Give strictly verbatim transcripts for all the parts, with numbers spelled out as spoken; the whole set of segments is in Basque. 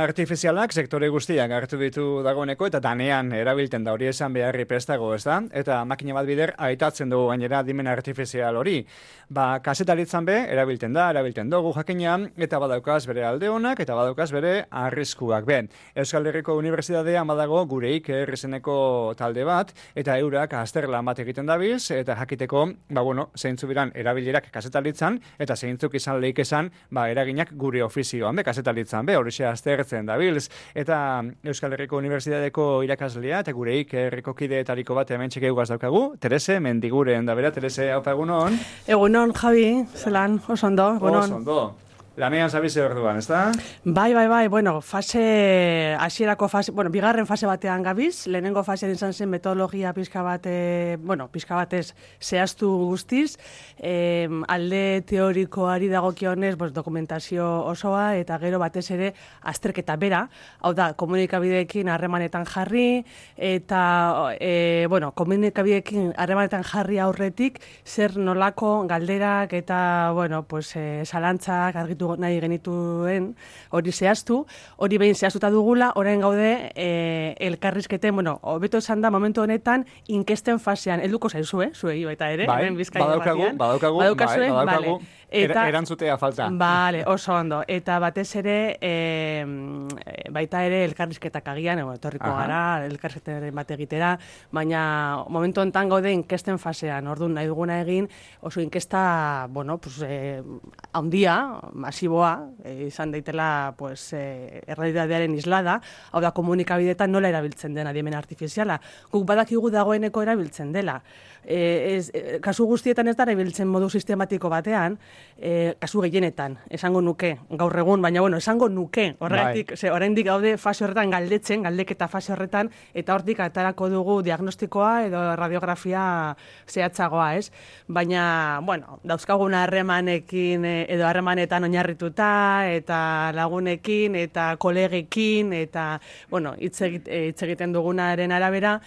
artifizialak sektore guztiak hartu ditu dagoeneko eta danean erabilten da, hori esan beharri prestago, ez da? Eta makina bat bider aitatzen dugu gainera adimen artifizial hori. Ba, kasetaritzan be, erabilten da, erabilten dugu jakina, eta badaukaz bere alde honak, eta badaukaz bere arriskuak be. Euskal Herriko Unibertsitatean badago gureik errezeneko talde bat, eta eurak azterlan bat egiten dabiz, eta jakiteko, ba, bueno, zeintzu biran erabilerak kasetaritzan, eta zeintzuk izan lehik esan, ba, eraginak gure ofizioan be, kasetaritzan be, hori aztertzen dabilz, eta Euskal Herriko Unibertsitateko irakaslea, eta gureik herriko kideetariko bat hemen txekeugaz daukagu, Terese, mendiguren da bera, Terese, haupa egunon? Egunon, Javi, zelan, oso ondo, egunon. Oso ondo. Lanean zabize orduan, ez da? Bai, bai, bai, bueno, fase, hasierako fase, bueno, bigarren fase batean gabiz, lehenengo fasean izan zen metodologia pizka bate, bueno, pizka batez zehaztu guztiz, eh, alde teorikoari dagokionez, pues, dokumentazio osoa, eta gero batez ere azterketa bera, hau da, komunikabideekin harremanetan jarri, eta, eh, bueno, komunikabideekin harremanetan jarri aurretik, zer nolako galderak eta, bueno, pues, eh, zalantzak argitu nahi genituen hori zehaztu, hori behin zehaztuta dugula, orain gaude e, elkarrizketen, bueno, hobeto esan da momentu honetan inkesten fasean, helduko zaizu, eh, zuei baita ere, bai, badaukagu, badaukagu, bai, badaukagu, eta, erantzutea falta. Bale, oso ondo, eta batez ere, e, baita ere elkarrizketak agian, ego, etorriko gara, elkarrizketaren bat egitera, baina momentu honetan gaude inkesten fasean, orduan nahi duguna egin, oso inkesta, bueno, pues, eh, handia, masiboa, eh, izan daitela pues, eh, errealitatearen islada, hau da komunikabideetan nola erabiltzen den adimen artifiziala. Guk badakigu dagoeneko erabiltzen dela. Eh, ez, eh, kasu guztietan ez da erabiltzen modu sistematiko batean, eh, kasu gehienetan, esango nuke, gaur egun, baina bueno, esango nuke, horregatik, ze oraindik gaude fase horretan galdetzen, galdeketa fase horretan, eta hortik atarako dugu diagnostikoa edo radiografia zehatzagoa, ez? Baina, bueno, dauzkagun harremanekin edo harremanetan oinarrituta, eta lagunekin, eta kolegekin, eta, bueno, hitz egiten dugunaren arabera,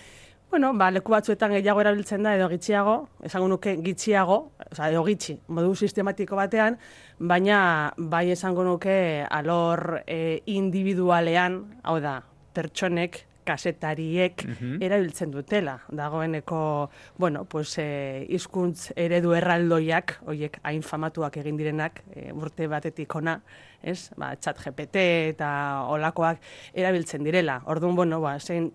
bueno, ba, leku batzuetan gehiago erabiltzen da, edo gitxiago, esango nuke gitxiago, oza, edo gitxi, modu sistematiko batean, baina bai esango nuke alor e, individualean, hau da, pertsonek, kasetariek uh-huh. erabiltzen dutela. Dagoeneko, bueno, pues, e, hizkuntz eredu erraldoiak, horiek hain famatuak egin direnak, e, urte batetik ona, ez? Ba, chat G P T eta olakoak erabiltzen direla. Orduan, bueno, ba, zein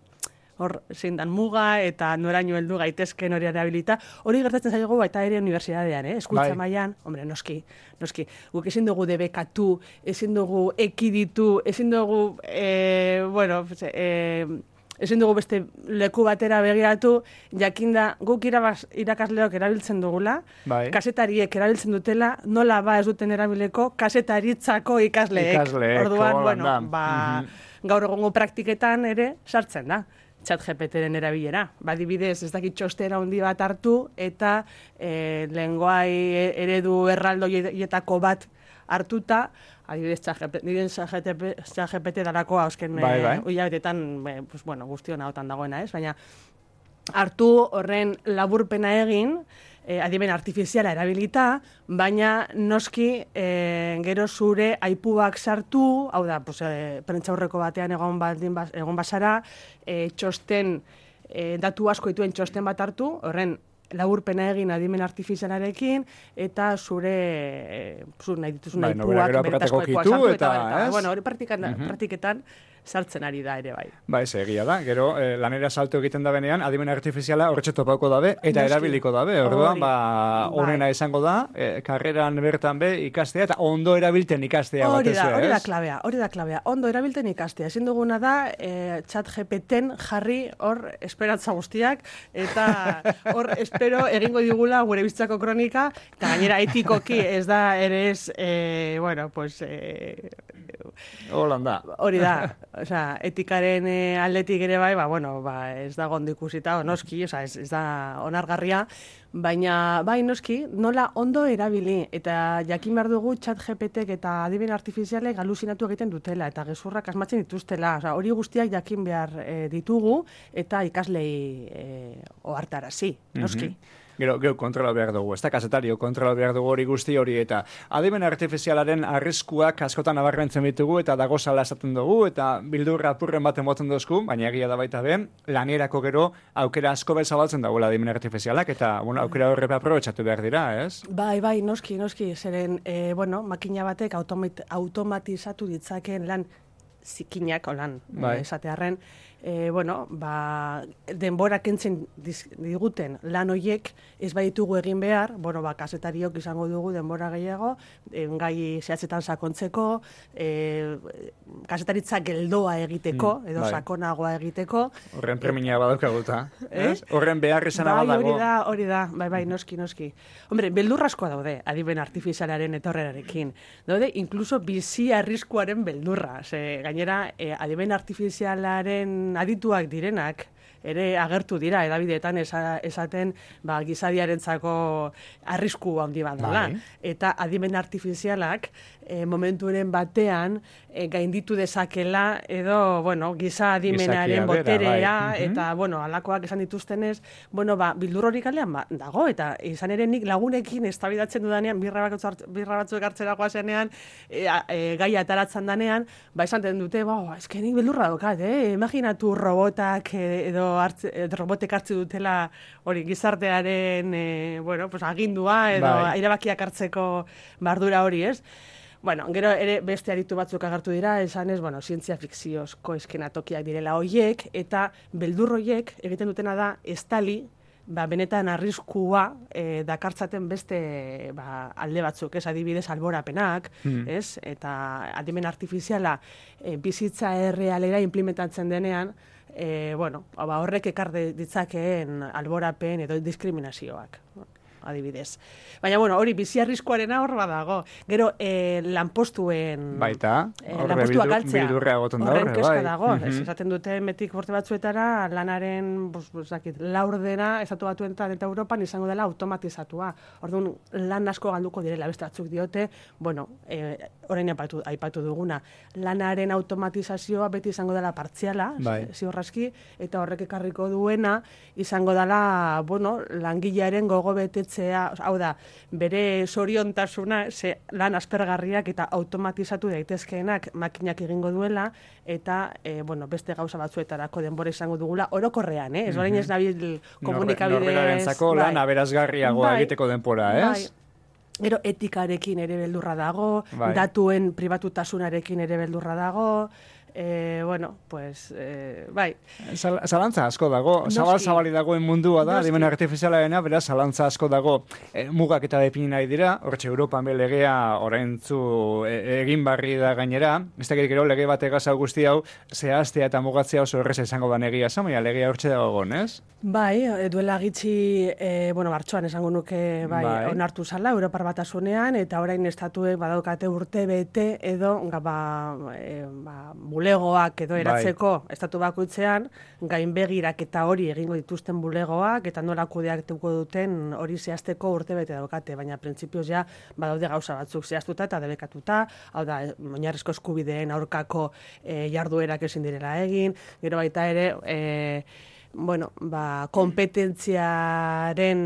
hor zein dan muga eta noraino heldu gaitezken hori erabilita. Hori gertatzen zaigu baita ere unibertsitatean, eh? Eskultza mailan, hombre, noski, noski. Guk ezin dugu debekatu, ezin dugu ekiditu, ezin dugu, eh, bueno, eh, ezin dugu beste leku batera begiratu, jakinda guk irabaz, irakasleok erabiltzen dugula, bai. Kasetariek erabiltzen dutela, nola ba ez duten erabileko kasetaritzako ikasleek. Ikasleek, orduan, bueno, ba, mm-hmm. gaur egongo praktiketan ere sartzen da. Chat G P T-ren erabilera. Badibidez, ez dakit txostera handi bat hartu, eta e, lenguai eredu erraldoietako bat hartuta, adibidez, Chat G P T darako hausken bai, bai. Uilabetetan, pues, bueno, guztion hautan dagoena, ez? Baina hartu horren laburpena egin, eh, adimen artifiziala erabilita, baina noski eh, gero zure aipuak sartu, hau da, pues, eh, prentsaurreko batean egon, baldin, egon basara, eh, txosten, eh, datu asko dituen txosten bat hartu, horren laburpena egin adimen artifizialarekin, eta zure, eh, zure nahi dituzun bai, aipuak, no, benetazko aipua sartu, eta, eta, eta bueno, hori praktiketan, uh-huh. praktiketan sartzen ari da ere bai. Ba, ez egia da. Gero, eh, lanera salto egiten da benean, adimen artifiziala horretxe topauko dabe, eta Noski. erabiliko dabe. Orduan, ba, honena bai. izango da, eh, karreran bertan be ikastea, eta ondo erabilten ikastea hori batez da, ere, hori da klabea, hori da klabea. Ondo erabilten ikastea. Ezin duguna da, eh, Chat G P T-en jarri hor esperantza guztiak, eta hor espero egingo digula gure bizitzako kronika, eta gainera etikoki ez da ere ez, eh, bueno, pues... Eh, Holanda. Hori da, osea, etikaren e, aldetik ere bai, ba, bueno, ba, ez da gondo ikusita, noski, osea, ez, ez da onargarria, baina, bai, noski, nola ondo erabili, eta jakin behar dugu Chat G P T-ek eta adimen artifizialek aluzinatu egiten dutela, eta gezurrak asmatzen dituztela, osea, hori guztiak jakin behar e, ditugu, eta ikaslei e, ohartarazi, noski. Mm-hmm. Gero, gero kontrola behar dugu, ez da kasetario kontrola behar dugu hori guzti hori, eta adimen artifizialaren arriskuak askotan nabarmentzen ditugu, eta dago sala esaten dugu, eta bildurra apurren baten boten dozku, baina egia da baita ben, lanierako gero aukera asko bezabaltzen dagoela adimen artifizialak, eta bueno, aukera horre aprobetxatu behar dira, ez? Bai, bai, noski, noski, zeren, e, bueno, makina batek automat, automatizatu ditzaken lan zikinak, olan, bai. esatearren, e, bueno, ba, denbora kentzen diguten lan hoiek ez baditugu egin behar, bueno, ba, kasetariok izango dugu denbora gehiago, e, gai zehatzetan sakontzeko, e, kasetaritza geldoa egiteko, edo bai. sakonagoa egiteko. Horren premia badaukaguta, ez? Horren behar izana bai, badago. Hori da, hori da, bai, bai, noski, noski. Hombre, beldurraskoa daude, adimen artifizialaren etorrerarekin. Daude, inkluso bizi arriskuaren beldurra. Ze, gainera, eh, adimen artifizialaren adituak direnak, ere agertu dira, edabideetan esa, esaten ba, gizadiarentzako arrisku handi bat dela. Bai. Eta adimen artifizialak e, momenturen batean e, gainditu dezakela edo, bueno, giza adimenaren boterea, bai. Eta, bueno, alakoak esan dituztenez, bueno, ba, bildur hori kalean ba, dago, eta izan ere nik lagunekin eztabaidatzen dudanean, birra, birra batzuk hartzera goazenean, e, e, gaia ataratzen danean, ba, esan dute, ba, eske nik bildurra daukat, eh? Imaginatu robotak edo hartze, robotek hartze dutela hori gizartearen e, bueno, pues, agindua edo bai. Erabakiak hartzeko bardura hori, ez? Bueno, gero ere beste aritu batzuk agertu dira, esanez, bueno, zientzia fikziozko eskenatokiak direla hoiek, eta beldur hoiek egiten dutena da estali, ba, benetan arriskua e, dakartzaten beste ba, alde batzuk, ez adibidez alborapenak, hmm. ez? Eta adimen artifiziala e, bizitza errealera implementatzen denean, E, bueno, ba, horrek ekar ditzakeen alborapen edo diskriminazioak, adibidez. Baina, bueno, hori bizi arriskuarena hor badago. Gero, e, lanpostuen... Baita, e, lanpostuak galtzea. Bildurrea goten da horre, bai. Dago. Mm-hmm. Ez, esaten dute metik borte batzuetara, lanaren, bus, bus, dakit, laurdena, estatu batuetan eta Europan izango dela automatizatua. Orduan, lan asko galduko direla, beste batzuk diote, bueno, e, orain aipatu, aipatu duguna, lanaren automatizazioa beti izango dela partziala, bai. Ziurraski, eta horrek ekarriko duena, izango dela, bueno, langilearen gogo betetzea, hau da, bere soriontasuna, ze lan aspergarriak eta automatizatu daitezkeenak makinak egingo duela, eta, e, bueno, beste gauza batzuetarako denbora izango dugula, orokorrean, eh? Ez orain ez nabil komunikabidez... Norberarentzako lan bai. aberazgarriagoa bai. Egiteko denbora, ez? Bai. Gero etikarekin ere beldurra dago, bai. Datuen pribatutasunarekin ere beldurra dago, e, bueno, pues, e, bai. Zalantza asko dago, zabal-zabali dagoen mundua da, adimen artifizialarena, beraz, zalantza asko dago, e, mugak eta depini nahi dira, horretxe Europan be legea oraintzu e, egin barri da gainera, ez dakit gero lege bat egaz guzti hau, zehaztea eta mugatzea oso erreza izango da negia zan, baina legea hortxe dago gon, ez? Bai, duela gitxi, e, bueno, martxoan esango nuke, bai, bai. Onartu zala, Europar Batasunean, eta orain estatuek badaukate urte bete edo, ba, e, ba, bulegoak edo eratzeko bai. Estatu bakoitzean, gainbegirak eta hori egingo dituzten bulegoak, eta nola kudeatuko duten hori zehazteko urte bete daukate, baina printzipioz ja, badaude gauza batzuk zehaztuta eta debekatuta, hau da, oinarrizko eskubideen aurkako e, jarduerak ezin direla egin, gero baita ere, e, bueno, ba, kompetentziaren,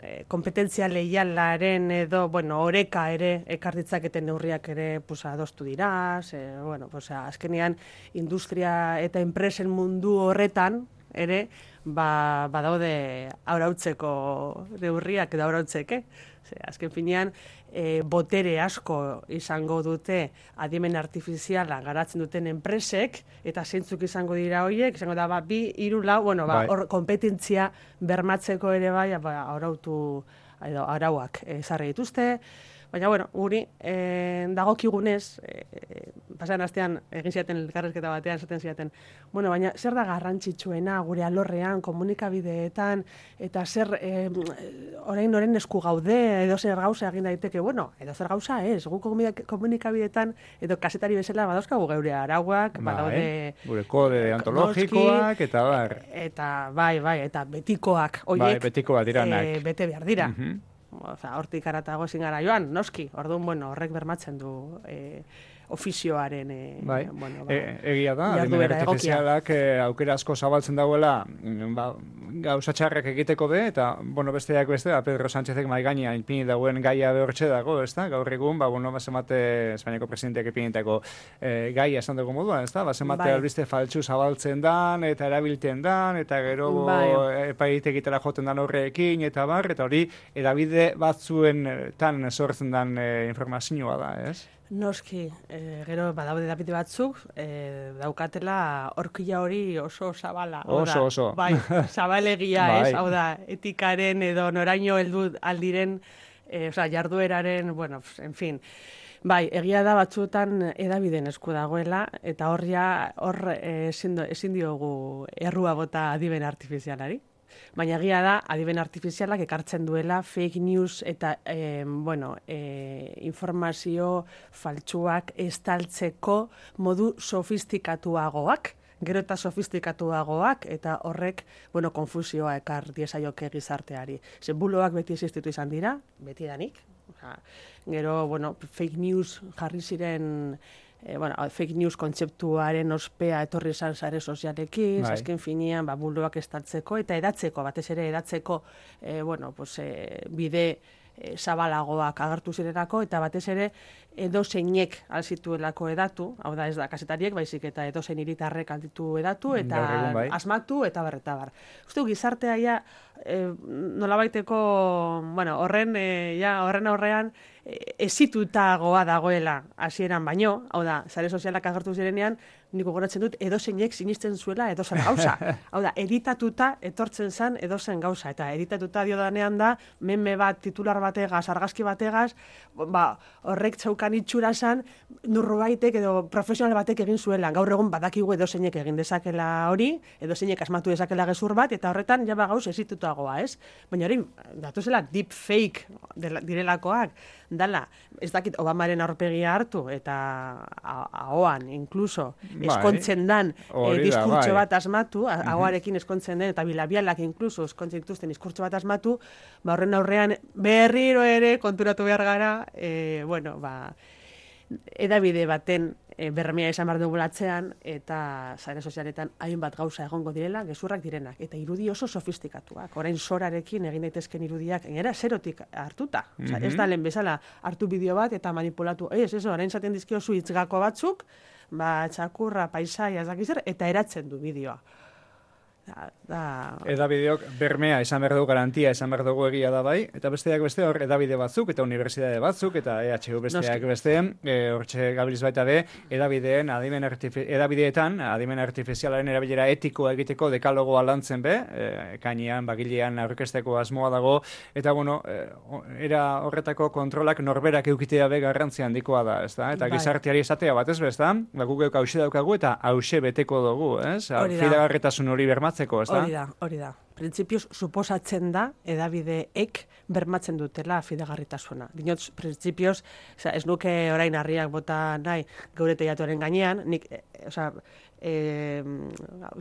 eh, kompetentzia leialaren edo, bueno, oreka ere, ekar ditzaketen neurriak ere, pues, adostu dira, ze, bueno, pues, azkenean, industria eta enpresen mundu horretan, ere, ba, badaude aurautzeko neurriak edo aurautzeke. Azken finean, e, botere asko izango dute adimen artifiziala garatzen duten enpresek, eta zeintzuk izango dira horiek, izango da, ba, bi, hiru, lau, bueno, ba, hor, kompetentzia bermatzeko ere bai, ba, arautu, edo, arauak ezarri dituzte, baina, bueno, guri, e, dagokigunez, e, pasan astean egin ziaten elkarrezketa batean, esaten ziaten, bueno, baina zer da garrantzitsuena gure alorrean, komunikabideetan, eta zer, e, orain noren esku gaude, edo zer gauza egin daiteke, bueno, edo zer gauza ez, gu komunikabideetan, edo kasetari bezala badauzkagu geure arauak, badaude... Gure kode antologikoak, eta bar. Eta, bai, bai, eta betikoak, oiek, bai, betikoak diranak. E, bete behar dira. Uh-huh. Oza, hortik aratago ezin gara joan, noski, orduan, bueno, horrek bermatzen du e, ofizioaren, e, bai. bueno, ba, e, egia da, adimen artifizialak e, aukera asko zabaltzen dauela, ba, gauza txarrak egiteko be, eta, bueno, besteak beste, ba, Pedro Sánchezek mai gainean ipini dagoen gaia behortxe dago, ez da? Gaur egun, ba, bueno, bazemate Espainiako presidenteak ipinitako e, gaia esan dugu moduan, ez da? Bazemate bai. albiste faltsu zabaltzen dan, eta erabiltzen dan, eta gero bai. epaitegitara joten dan horrekin, eta bar, eta hori, edabide batzuen tan sortzen dan e, informazioa da, ez? Noski, e, gero badaude edabide batzuk, e, daukatela horkila hori oso zabala. Oso, oso. Bai, zabalegia, bai. ez? Hau da, etikaren edo noraino heldu aldiren, e, oza, jardueraren, bueno, en fin. Bai, egia da batzuetan edabideen esku dagoela, eta horria, hor ezin, ezin diogu errua bota adiben artifizialari. Baina egia da, adiben artifizialak ekartzen duela fake news eta eh, bueno, eh, informazio faltsuak estaltzeko modu sofistikatuagoak, gero eta sofistikatuagoak, eta horrek, bueno, konfusioa ekar diesaioke gizarteari. Ze buloak beti existitu izan dira, beti danik. Oja, gero, bueno, fake news jarri ziren... E, bueno, fake news kontzeptuaren ospea etorri izan sare sozialekin, bai. Azken finean, ba, buloak estaltzeko eta edatzeko, batez ere edatzeko, e, bueno, pues, e, bide e, zabalagoak agertu zirelako, eta batez ere edo zeinek alzituelako edatu, hau da ez da kasetariek, baizik eta edo zein hiritarrek alditu edatu, eta bai. asmatu, eta barreta bar. Uste gizartea ja, e, nolabaiteko, bueno, horren, e, ja, horren aurrean, ezitutagoa dagoela hasieran baino, hau da, sare sozialak agertu zirenean, niko goratzen dut, edozeinek sinisten zuela edozen gauza. Hau da, editatuta etortzen zen edozen gauza, eta editatuta dio danean da, meme bat, titular bategaz, argazki bategaz, ba, horrek txaukan itxura zen, nurbaitek edo profesional batek egin zuela. Gaur egun badakigu edozeinek egin dezakela hori, edozeinek asmatu dezakela gezur bat, eta horretan jaba gauz ezitutagoa, ez? Baina hori, datu zela, deep fake direlakoak, dala, ez dakit Obamaren aurpegia hartu, eta ahoan, inkluso, eskontzen dan eh, diskurtso bat asmatu, ahoarekin eskontzen den, eta bilabialak inkluso eskontzen dituzten diskurtso bat asmatu, ba horren aurrean berriro ere konturatu behar gara, eh, bueno, ba, edabide baten e, bermea izan behar dugu latzean, eta sare sozialetan hainbat gauza egongo direla, gezurrak direnak, eta irudi oso sofistikatuak, orain sorarekin egin daitezken irudiak, gainera zerotik hartuta. Mm -hmm. Ez da lehen bezala hartu bideo bat eta manipulatu, ez, ez, orain zaten dizkiozu hitzgako batzuk, ba, txakurra, paisaia, ez dakizer, eta eratzen du bideoa. Da, da... Edabideok bermea izan behar dugu, garantia izan behar dugu egia da bai, eta besteak beste hor edabide batzuk, eta unibertsitate batzuk, eta E H U besteak beste, e, hortxe gabiliz baita be, edabideen, adimen artifi edabideetan, adimen artifizialaren erabilera etikoa egiteko dekalogoa lantzen be, e, kainean, bagilean aurkesteko asmoa dago, eta bueno, e, era horretako kontrolak norberak eukitea be garrantzia handikoa da, ez da? Eta bai. Gizarteari esatea bat ez bezta, ba, guk hause daukagu eta hause beteko dugu, ez? Fidagarritasun hori bermatzen. Hori da, hori da. Printzipioz, suposatzen da, edabideek bermatzen dutela fidagarritasuna. Dinot, printzipioz, ez nuke orain harriak bota nahi geure teiatuaren gainean, nik, e, oza, e,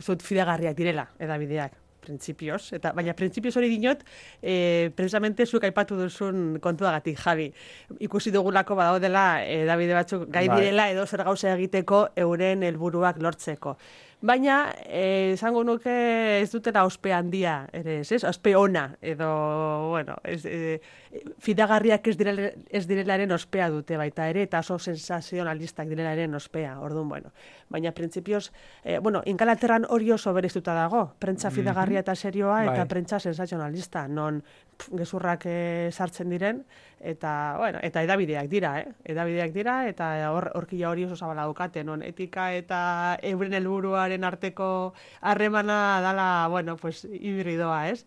zut fidagarriak direla edabideak. Printzipioz, eta baina printzipioz hori dinot, e, precisamente zuek aipatu duzun kontuagatik, Javi. Ikusi dugulako badaudela edabide batzuk gai direla edo zer gauza egiteko euren helburuak lortzeko. Baina, esango nuke ez dutela ospe handia, ere, ez, ospe ona, edo, bueno, ez, e, fidagarriak ez, direle, ez direlaren ospea dute baita ere, eta oso sensazionalistak direlaren ospea, orduan, bueno. Baina, printzipioz, e, bueno, Inkalaterran hori oso bereiztuta dago, prentza fidagarria eta serioa, eta prentza sensazionalista, non pff, gezurrak e, sartzen diren, eta, bueno, eta edabideak dira, eh? Edabideak dira, eta hor, horkila hori oso zabala daukate, non etika eta euren helburua arteko harremana dala, bueno, pues, hibridoa, ez?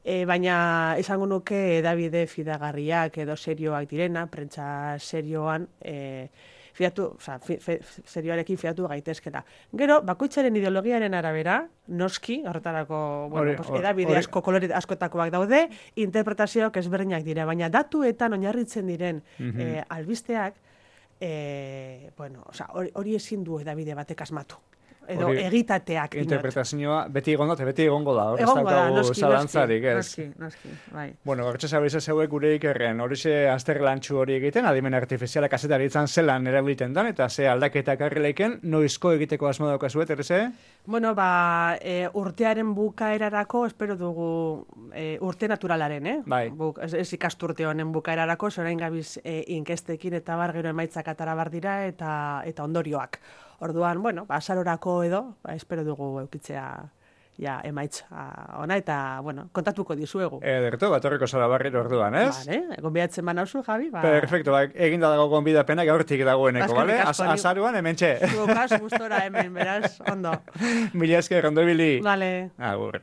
E, baina, esango nuke edabide fidagarriak edo serioak direna, prentza serioan, e, fiatu, oza, fi, fi, serioarekin fiatu gaitezkela. Gero, bakoitzaren ideologiaren arabera, noski, horretarako, bueno, ore, pues, edabide ore, asko, kolore askotakoak daude, interpretazioak ezberdinak dira, baina datuetan oinarritzen diren mm-hmm. e, albisteak, e, bueno, oza, hori, hori ezin du edabide batek asmatu. edo Hori, egitateak. dinot. Interpretazioa beti egon da, eta beti egongo da, hor ez Egongo da, daukagu noski, zalantzarik, ez? noski, noski, bai. Bueno, hortxe zabiz zeuek gure ikerren, horixe azterlantxu hori egiten, adimen artifiziala kazetaritzan zelan erabiltzen dan, eta ze aldaketak arreleiken, noizko egiteko asmo daukazuet, ereze? Bueno, ba, e, urtearen bukaerarako, espero dugu e, urte naturalaren, eh? Bai. Buk, ez, ez ikasturte honen bukaerarako, zorain gabiz e, inkestekin eta bar gero emaitzak atara bar dira eta, eta ondorioak. Orduan, bueno, ba, azarorako edo, ba, espero dugu eukitzea ja, emaitza ona, eta, bueno, kontatuko dizuegu. Ederto, bat horreko zara barriro orduan, ez? Vale, gonbidatzen banauzu, Javi? Ba... Perfecto, ba, eginda dago gonbidapena gaurtik dagoeneko, Eskerrik bale? asko, ni- Azaruan hemen txe. Zuokaz, gustora hemen, beraz, ondo. Mila esker, ondo ibili. Vale. Agur.